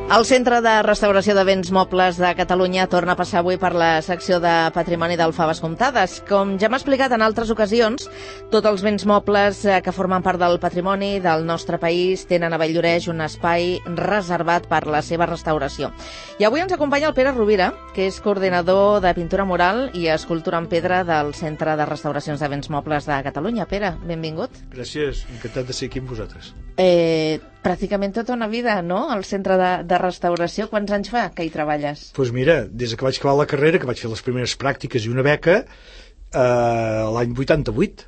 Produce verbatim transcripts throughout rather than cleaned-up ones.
El Centre de Restauració de Béns Mobles de Catalunya torna a passar avui per la secció de Patrimoni del Faves Comptades. Com ja m'ha explicat en altres ocasions, tots els béns mobles que formen part del patrimoni del nostre país tenen a Valldoreix un espai reservat per la seva restauració. I avui ens acompanya el Pere Rovira, que és coordinador de pintura mural i escultura en pedra del Centre de Restauracions de Béns Mobles de Catalunya. Pere, benvingut. Gràcies, encantat de ser aquí amb vosaltres. Eh, pràcticament tota una vida, no?, al Centre de, de Restauració. Quants anys fa que hi treballes? Doncs pues mira, des que vaig acabar la carrera, que vaig fer les primeres pràctiques i una beca, eh, l'any vuitanta-vuit.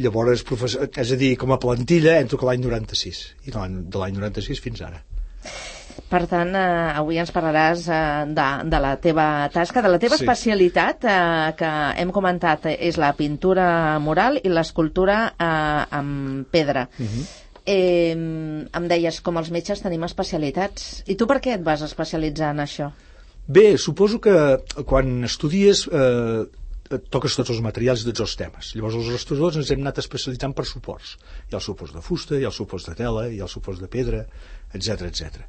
Llavors, professor, és a dir, com a plantilla, entro que l'any noranta-sis. I de l'any noranta-sis fins ara. Per tant, eh, avui ens parlaràs eh, de, de la teva tasca, de la teva sí. especialitat, eh, que hem comentat, eh, és la pintura mural i l'escultura eh, amb pedra. Uh-huh. Eh, em deies, com els metges tenim especialitats. I tu per què et vas especialitzar en això? Bé, suposo que quan estudies eh, toques tots els materials i tots els temes. Llavors els restauradors ens hem anat especialitzant per suports. Hi ha els suports de fusta, hi ha els suports de tela, hi ha els suports de pedra, etcètera, etcètera.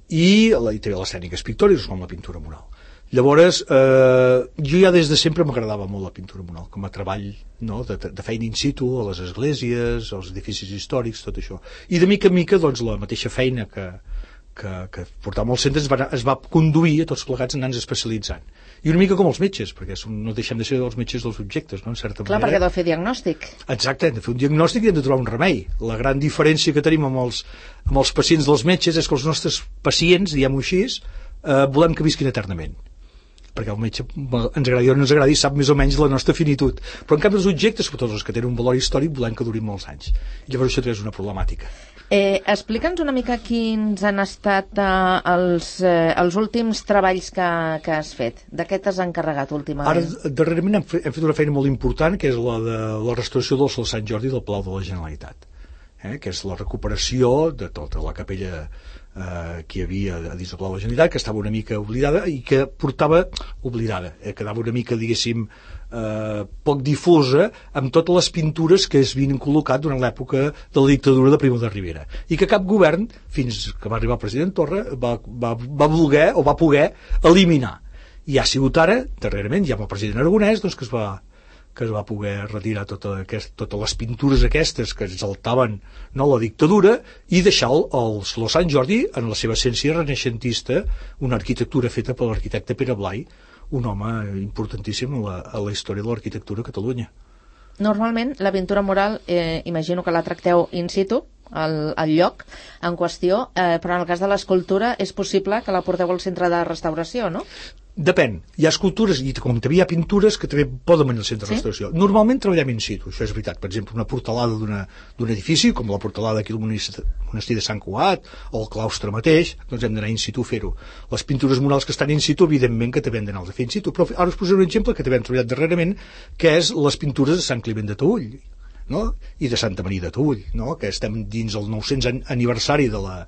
I, la, i també les tècniques pictòriques com la pintura mural. Llavors, eh, jo ja des de sempre m'agradava molt la pintura mural, com a treball, no, de, de feina in situ, a les esglésies, als edificis històrics, tot això. I de mica en mica, doncs, la mateixa feina que, que, que portàvem al centre es va, es va conduir a tots plegats anant-nos especialitzant. I una mica com els metges, perquè som, no deixem de ser els metges dels objectes, no?, en certa Clar, manera. perquè heu de fer diagnòstic. Exacte, hem de fer un diagnòstic i hem de trobar un remei. La gran diferència que tenim amb els, amb els pacients dels metges és que els nostres pacients, diguem-ho així, eh, volem que visquin eternament. Perquè el metge, ens agradi o no ens agradi, sap més o menys la nostra finitud. Però en canvi els objectes, sobretot els que tenen un valor històric, volem que durin molts anys. I llavors això és una problemàtica. Eh, Explica'ns una mica quins han estat eh, els, eh, els últims treballs que, que has fet. De què t'has encarregat últimament? Ara, darrerament hem fet, hem fet una feina molt important, que és la de la restauració del Sol Sant Jordi del Palau de la Generalitat, eh? que és la recuperació de tota la capella eh, que hi havia a dins del Palau de la Generalitat, que estava una mica oblidada i que portava, oblidada, eh, quedava una mica, diguéssim, eh, poc difosa amb totes les pintures que es havien col·locat durant l'època de la dictadura de Primo de Rivera i que cap govern, fins que va arribar el president Torra, va, va, va voler o va poder eliminar. I ha sigut ara, darrerament, ja amb el president Aragonès, doncs, que es va que es va poder retirar tota aquest, totes les pintures aquestes que exaltaven, no, la dictadura i deixar el, el Saló Sant Jordi en la seva essència renaixentista, una arquitectura feta per l'arquitecte Pere Blai, un home importantíssim a la, a la història de l'arquitectura a Catalunya. Normalment la pintura mural, eh, imagino que la tracteu in situ, al, al lloc en qüestió, eh, però en el cas de l'escultura és possible que la porteu al centre de restauració, no? Depèn. Hi ha escultures i com també hi ha pintures que també poden venir al centre de restauració. Sí? Normalment treballem in situ, això és veritat. Per exemple, una portalada d'un edifici, com la portalada aquí del monestir de Sant Cugat o el claustre mateix, doncs hem d'anar in situ a fer-ho. Les pintures murals que estan in situ, evidentment que també hem d'anar a fer in situ, però ara us posaré un exemple que també hem treballat darrerament, que és les pintures de Sant Climent de Taüll, no? I de Santa Maria de Taüll, no? Que estem dins el nou-cents aniversari de la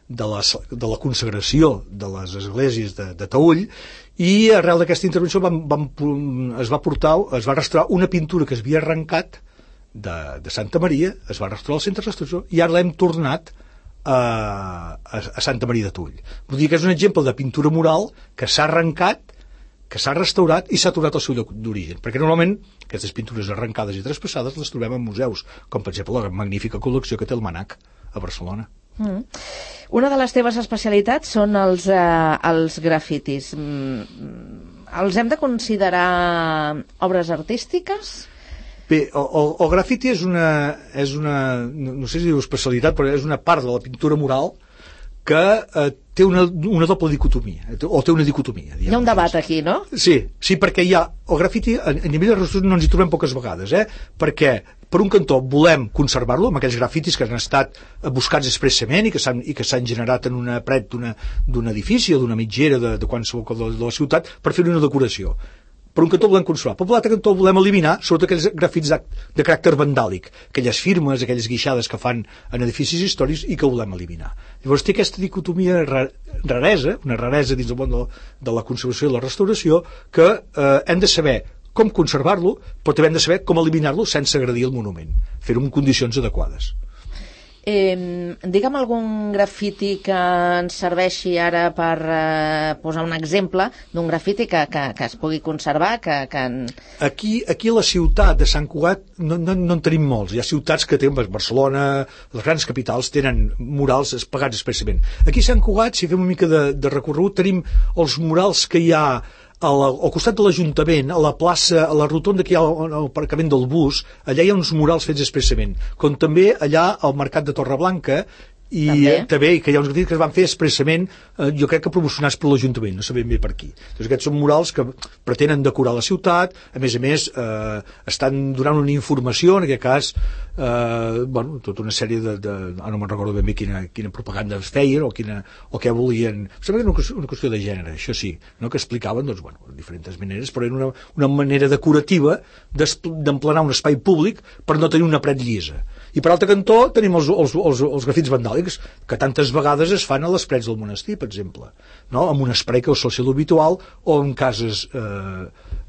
de la, de la consagració de les esglésies de, de Taüll, i arrel d'aquesta intervenció vam, vam, es va portar, es va restaurar una pintura que es havia arrencat de, de Santa Maria, es va restaurar al centre de restauració i ara l'hem tornat a, a, a Santa Maria de Taüll. Vull dir que és un exemple de pintura mural que s'ha arrencat, que s'ha restaurat i s'ha tornat al seu lloc d'origen, perquè normalment aquestes pintures arrencades i traspassades les trobem en museus, com per exemple la magnífica col·lecció que té el Manac a Barcelona. Mm. Una de les teves especialitats són els, eh, els grafitis. Mm, els hem de considerar obres artístiques? Bé, el, el, el grafiti és una, és una, no, no sé si diu especialitat, però és una part de la pintura mural que eh, té una, una doble dicotomia, o té una dicotomia. Hi ha un debat aquí, no? Sí, sí, perquè hi ha el grafiti, a, a nivell de restauració no ens hi trobem poques vegades, eh? Perquè per un cantó volem conservar-lo amb aquells grafitis que han estat buscats expressament i que s'han i que s'han generat en una paret d'un edifici o d'una mitgera de, de qualsevol cosa de, de la ciutat per fer una decoració. Per un cantó volem conservar, però per l'altre cantó volem eliminar sobretot aquells grafits de, de caràcter vandàlic, aquelles firmes, aquelles guixades que fan en edificis històrics i que volem eliminar. Llavors té aquesta dicotomia raresa, una raresa dins del món de, de la conservació i la restauració, que eh, hem de saber com conservar-lo, però també hem de saber com eliminar-lo sense agredir el monument, fer-ho en condicions adequades. Eh, digue'm algun grafiti que ens serveixi ara per eh, posar un exemple d'un grafiti que, que, que es pugui conservar, que... que en... Aquí, aquí a la ciutat de Sant Cugat no, no, no en tenim molts. Hi ha ciutats que tenen, Barcelona, les grans capitals tenen murals pagats expressament. Aquí a Sant Cugat, si fem una mica de, de recorregut, tenim els murals que hi ha a la, al costat de l'Ajuntament, a la plaça, a la rotonda que hi ha al, al aparcament del bus. Allà hi ha uns murals fets expressament, com també allà al mercat de Torreblanca, i també, també que hi ha uns grafits que es van fer expressament, eh, jo crec que promocionats per l'Ajuntament, no sabem bé per qui. Doncs aquests són murals que pretenen decorar la ciutat, a més a més eh, estan donant una informació, en aquest cas eh, bueno, tota una sèrie de, de ah, no me'n recordo ben bé quina, quina propaganda es feien o, quina, o què volien, sembla que era una, una qüestió de gènere, això sí, no? Que explicaven doncs, bueno, de diferents maneres, però era una, una manera decorativa d'emplenar un espai públic per no tenir una paret llisa. I per altre cantó tenim els, els, els, els grafits vandàlics que tantes vegades es fan a les parets del monestir, per exemple, no? Amb un spray que sol ser l'habitual o en cases, eh,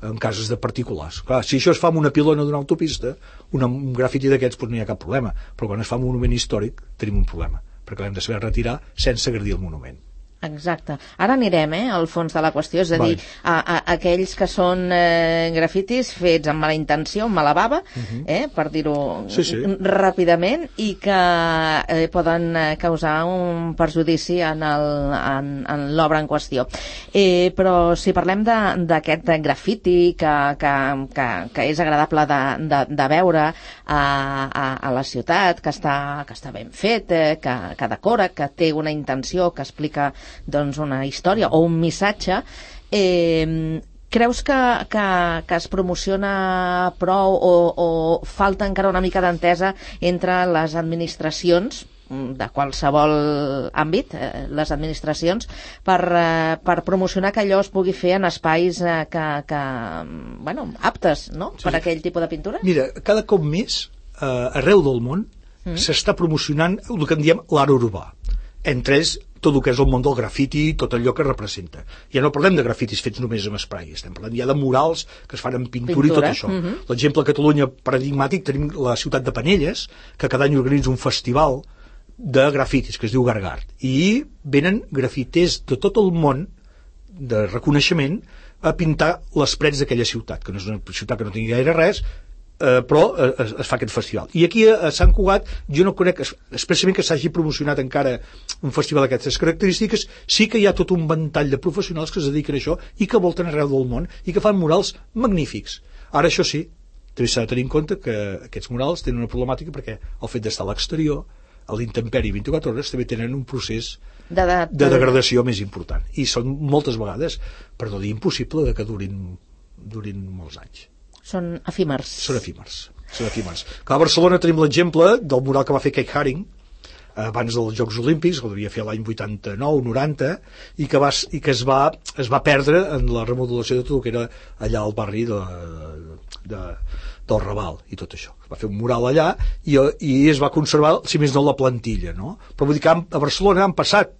en cases de particulars. Clar, si això es fa amb una pilona d'una autopista, una, un grafiti d'aquests doncs no hi ha cap problema, però quan es fa un monument històric tenim un problema, perquè l'hem de saber retirar sense agredir el monument. Exacte. Ara anirem eh, al fons de la qüestió, és a dir, a, a, a aquells que són eh, grafitis fets amb mala intenció, amb mala bava, uh-huh. eh, per dir-ho sí, sí. ràpidament, i que eh, poden causar un perjudici en l'obra en, en qüestió. Eh, però si parlem d'aquest grafiti que, que, que, que és agradable de, de, de veure a, a, a la ciutat, que està, que està ben fet, eh, que, que decora, que té una intenció, que explica doncs una història o un missatge, eh, creus que, que, que es promociona prou o, o falta encara una mica d'entesa entre les administracions de qualsevol àmbit, eh, les administracions, per, eh, per promocionar que allò es pugui fer en espais eh, que, que, bueno, aptes, no?, sí, per aquell tipus de pintura? Mira, cada cop més, eh, arreu del món, mm. s'està promocionant el que en diem l'art urbà. Entre ells, tot el que és el món del grafiti, tot allò que representa. Ja no parlem de grafitis fets només amb spray, estem parlant ja de murals que es fan amb pintura, pintura. I tot això. Uh-huh. L'exemple a Catalunya paradigmàtic tenim la ciutat de Penelles, que cada any organitza un festival de grafitis que es diu Gargard, i venen grafiters de tot el món de reconeixement a pintar les parets d'aquella ciutat, que no és una ciutat que no tingui gaire res, eh, però eh, es, es fa aquest festival. I aquí a, a Sant Cugat jo no conec expressament que s'hagi promocionat encara un festival d'aquestes característiques. Sí que hi ha tot un ventall de professionals que es dediquen a això i que volten arreu del món i que fan murals magnífics. Ara, això sí, també s'ha de tenir en compte que aquests murals tenen una problemàtica perquè el fet d'estar a l'exterior, a l'intemperi vint-i-quatre hores, també tenen un procés de, de, de degradació més important. I són moltes vegades, per no dir impossible, de que durin, durin molts anys. Són efímers. Són efímers. Són efímers. A Barcelona tenim l'exemple del mural que va fer Keith Haring abans dels Jocs Olímpics, que el devia fer l'any vuitanta-nou noranta, i que, va, i que es, va, es va perdre en la remodelació de tot el que era allà al barri de, de, del Raval i tot això. Va fer un mural allà i, i es va conservar, si més no, la plantilla, no? Però vull dir que a Barcelona han passat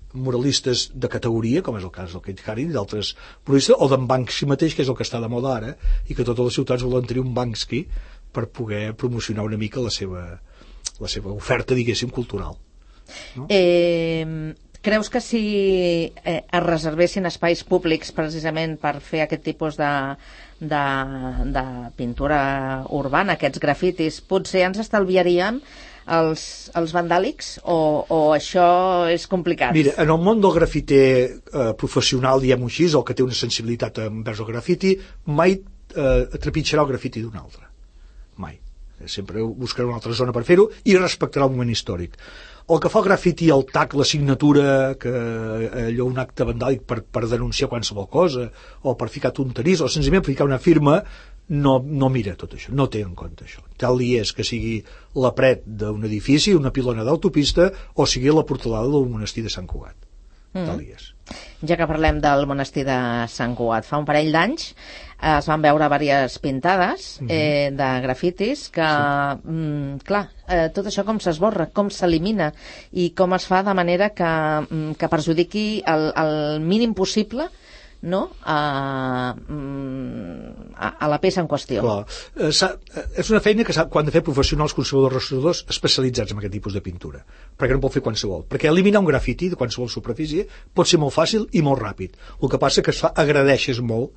muralistes de categoria, com és el cas del Keith Haring i d'altres muralistes, o d'en Banksy mateix, que és el que està de moda ara, i que totes les ciutats volen tenir un Banksy per poder promocionar una mica la seva, la seva oferta, diguéssim, cultural. No? Eh, creus que si eh, es reservessin espais públics precisament per fer aquest tipus de, de, de pintura urbana, aquests grafitis, potser ens estalviaríem els, els vandàlics o, o això és complicat? Mira, en el món del grafiter eh, professional, diguem-ho així, el que té una sensibilitat envers el grafiti, mai eh, trepitjarà el grafiti d'un altre. Mai. Sempre buscarà una altra zona per fer-ho i respectarà el moment històric. El que fa el grafiti, el tac, la signatura, que allò un acte vandàlic per, per denunciar qualsevol cosa, o per ficar tonteries, o senzillament per ficar una firma, no, no mira tot això, no té en compte això. Tal li és que sigui la paret d'un edifici, una pilona d'autopista, o sigui la portalada del monestir de Sant Cugat. Mm. Tal li és. Ja que parlem del monestir de Sant Cugat, fa un parell d'anys eh, es van veure diverses pintades eh, mm-hmm. de grafitis que, sí. mm, clar, eh, tot això com s'esborra, com s'elimina i com es fa de manera que, mm, que perjudiqui el, el mínim possible no? a, a, a la peça en qüestió. Clar. Eh, és una feina que s'ha de fer professionals conservadors restauradors especialitzats en aquest tipus de pintura, perquè no pot fer qualsevol, perquè eliminar un grafiti de qualsevol superfície pot ser molt fàcil i molt ràpid. El que passa que es fa, agradeixes molt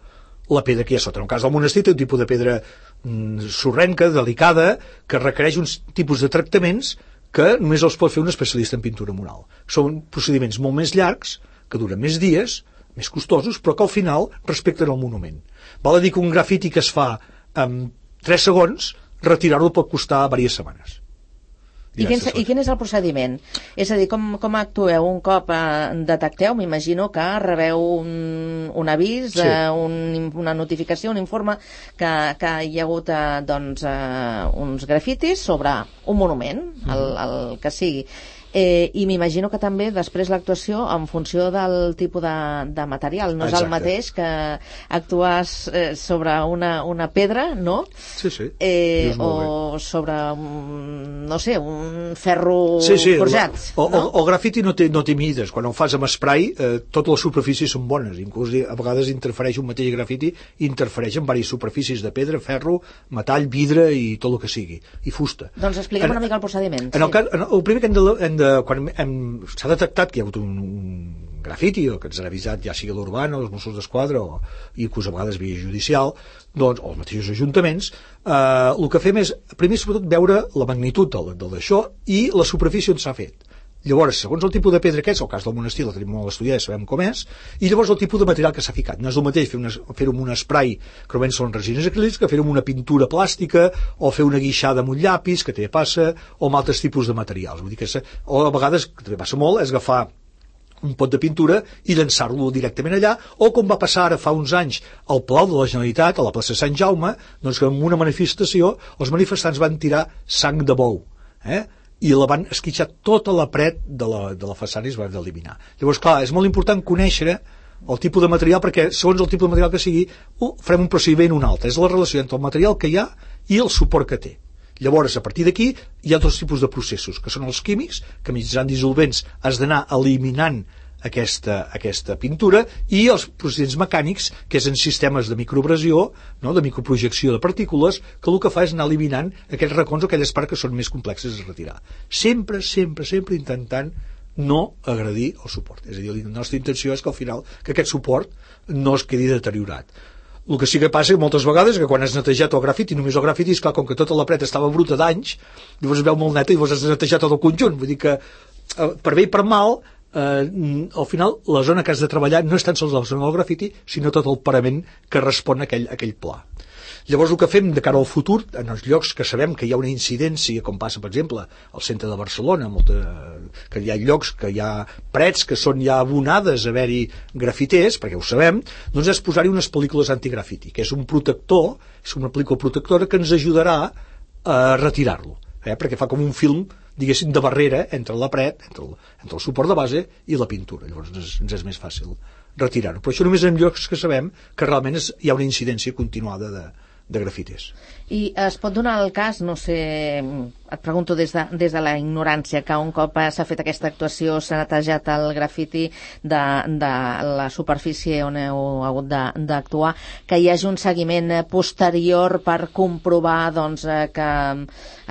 la pedra que hi ha sota. En el cas del monestir té un tipus de pedra mm, sorrenca, delicada, que requereix uns tipus de tractaments que només els pot fer un especialista en pintura mural. Són procediments molt més llargs, que duren més dies, més costosos, però que al final respecten el monument. Val a dir que un grafiti que es fa en tres segons, retirar-lo pot costar diverses setmanes. I quin, I quin és el procediment? És a dir, com, com actueu un cop eh, detecteu? M'imagino que rebeu un, un avís, sí. eh, un, una notificació, un informe que, que hi ha hagut eh, doncs, eh, uns grafitis sobre un monument, mm. el, el que sigui. Eh, I m'imagino que també després l'actuació en funció del tipus de, de material. No és Exacte. El mateix que actuar eh, sobre una, una pedra, no? Sí, sí. Eh, o sobre, un, no sé, un ferro sí, sí. forjat. O, no? o, el grafiti no té, no té mides. Quan ho fas amb spray, eh, totes les superfícies són bones. Inclús a vegades interfereix un mateix grafiti, interfereix en diverses superfícies de pedra, ferro, metall, vidre i tot el que sigui. I fusta. Doncs explica'm en, una mica el procediment. En sí. el, cas, en el primer que hem de, hem de quan s'ha detectat que hi ha hagut un, un grafiti o que ens han avisat ja sigui l'Urbana o els Mossos d'Esquadra o inclús a vegades via judicial doncs, o els mateixos ajuntaments eh, el que fem és primer sobretot veure la magnitud d'això i la superfície on s'ha fet. Llavors, segons el tipus de pedra que és, el cas del monestir la tenim molt estudiada, sabem com és, i llavors el tipus de material que s'ha ficat. No és el mateix fer-ho fer amb un spray, que normalment són resines acrílics, que fer-ho amb una pintura plàstica, o fer una guixada amb un llapis, que també passa, o amb altres tipus de materials. Vull dir que o a vegades, que també passa molt, és agafar un pot de pintura i llançar-lo directament allà, o com va passar ara fa uns anys al Palau de la Generalitat, a la plaça Sant Jaume, doncs que en una manifestació els manifestants van tirar sang de bou, eh? I la van esquitxar tota la paret de la, de la façana i es van eliminar. Llavors, clar, és molt important conèixer el tipus de material, perquè segons el tipus de material que sigui, uh, farem un procediment un altre. És la relació entre el material que hi ha i el suport que té. Llavors, a partir d'aquí, hi ha dos tipus de processos, que són els químics, que mitjançant dissolvents has d'anar eliminant aquesta, aquesta pintura, i els procediments mecànics, que és en sistemes de microabrasió, no? De microprojecció de partícules, que el que fa és anar eliminant aquells racons o aquelles parts que són més complexes de retirar. Sempre, sempre, sempre intentant no agredir el suport. És a dir, la nostra intenció és que al final que aquest suport no es quedi deteriorat. El que sí que passa moltes vegades que quan has netejat el grafiti, només el grafiti, és clar, com que tota la paret estava bruta d'anys, llavors es veu molt neta i llavors has netejat tot el conjunt. Vull dir que, per bé i per mal, eh, al final la zona que has de treballar no és tan sols la zona del grafiti, sinó tot el parament que respon a aquell, a aquell pla. Llavors el que fem de cara al futur, en els llocs que sabem que hi ha una incidència, com passa per exemple al centre de Barcelona, molta, que hi ha llocs que hi ha parets que són ja abonades a haver-hi grafiters, perquè ho sabem, doncs és posar-hi unes pel·lícules antigrafiti, que és un protector, és una pel·lícula protectora que ens ajudarà a retirar-lo, eh? Perquè fa com un film, diguéssim, de barrera entre la paret, entre el, entre el suport de base i la pintura. Llavors ens, ens és més fàcil retirar-ho. Però això només en llocs que sabem que realment és, hi ha una incidència continuada de, de grafiters. I es pot donar el cas, no sé, et pregunto des de, des de la ignorància, que un cop s'ha fet aquesta actuació, s'ha netejat el grafiti de, de la superfície on heu hagut d'actuar, que hi hagi un seguiment posterior per comprovar doncs, que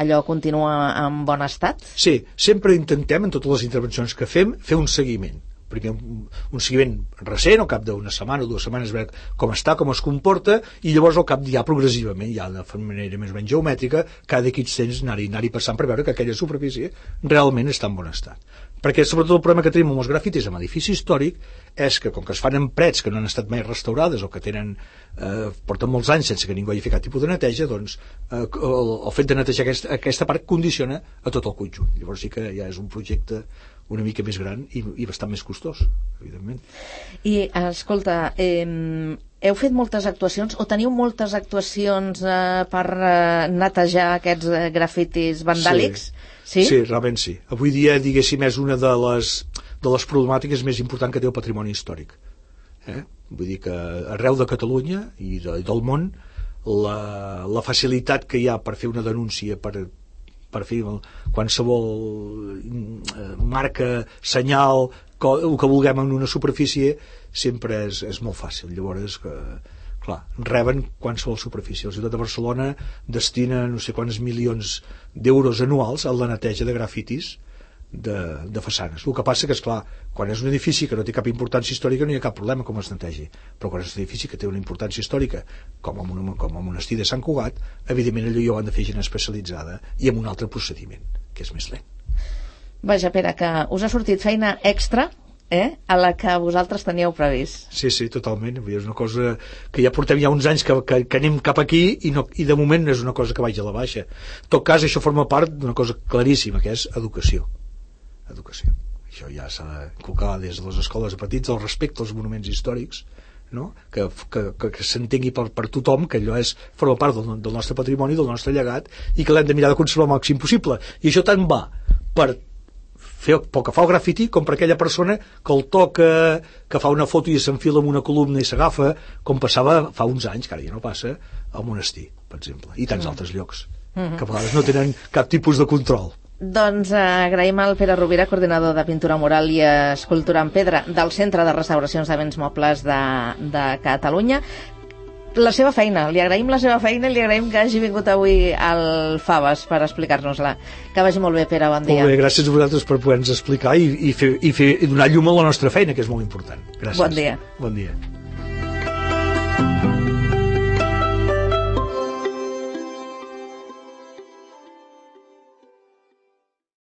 allò continua en bon estat? Sí, sempre intentem, en totes les intervencions que fem, fer un seguiment. Primer un, un seguiment recent, al cap d'una setmana o dues setmanes, veure com està, com es comporta, i llavors al cap ja progressivament, ja de manera més o menys geomètrica, cada X temps anar-hi anar passant per veure que aquella superfície realment està en bon estat. Perquè sobretot el problema que tenim amb els grafitis en edifici històric és que com que es fan en parets que no han estat mai restaurades o que tenen, eh, porten molts anys sense que ningú hagi fet cap tipus de neteja, doncs eh, el, el fet de netejar aquesta, aquesta part condiciona a tot el conjunt. Llavors sí que ja és un projecte una mica més gran i, i bastant més costós, evidentment. I, escolta, eh, heu fet moltes actuacions o teniu moltes actuacions eh, per eh, netejar aquests eh, grafitis vandàlics? Sí. Sí? Sí, realment sí. Avui dia, diguéssim, és una de les, de les problemàtiques més importants que té el patrimoni històric. Eh? Vull dir que arreu de Catalunya i de, del món la, la facilitat que hi ha per fer una denúncia, per per fer qualsevol marca, senyal, el que vulguem en una superfície, sempre és, és molt fàcil. Llavors, que, clar, reben qualsevol superfície. La ciutat de Barcelona destina no sé quants milions d'euros anuals a la neteja de grafitis de, de façanes. El que passa que, esclar, quan és un edifici que no té cap importància històrica no hi ha cap problema com es netegi, però quan és un edifici que té una importància històrica com el, com el monestir de Sant Cugat, evidentment allò hi ho han de fer gent especialitzada i amb un altre procediment, que és més lent. Vaja, Pere, que us ha sortit feina extra eh, a la que vosaltres teníeu previst. Sí, sí, totalment. És una cosa que ja portem ja uns anys que, que, que anem cap aquí i, no, i de moment no és una cosa que vagi a la baixa. En tot cas, això forma part d'una cosa claríssima, que és educació. Educació. Això ja s'ha d'inculcar des de les escoles de petits, el respecte als monuments històrics, no? que, que, que, que s'entengui per, per tothom que allò és, forma part del, del nostre patrimoni, del nostre llegat, i que l'hem de mirar de conservar el màxim possible. I això tant va per fer pel que fa al grafiti com per aquella persona que el toca, que fa una foto i s'enfila en una columna i s'agafa, com passava fa uns anys, que ara ja no passa, al monestir, per exemple, i tants mm. altres llocs, mm-hmm. que a vegades no tenen cap tipus de control. Doncs eh, agraïm al Pere Rovira, coordinador de Pintura Mural i Escultura en Pedra del Centre de Restauracions de Béns Mobles de, de Catalunya. La seva feina, li agraïm la seva feina i li agraïm que hagi vingut avui al Faves per explicar-nos-la. Que vagi molt bé, Pere, bon dia. Molt bé, gràcies a vosaltres per poder-nos explicar i, i, fer, i, fer, i donar llum a la nostra feina, que és molt important. Gràcies. Bon dia. Bon dia.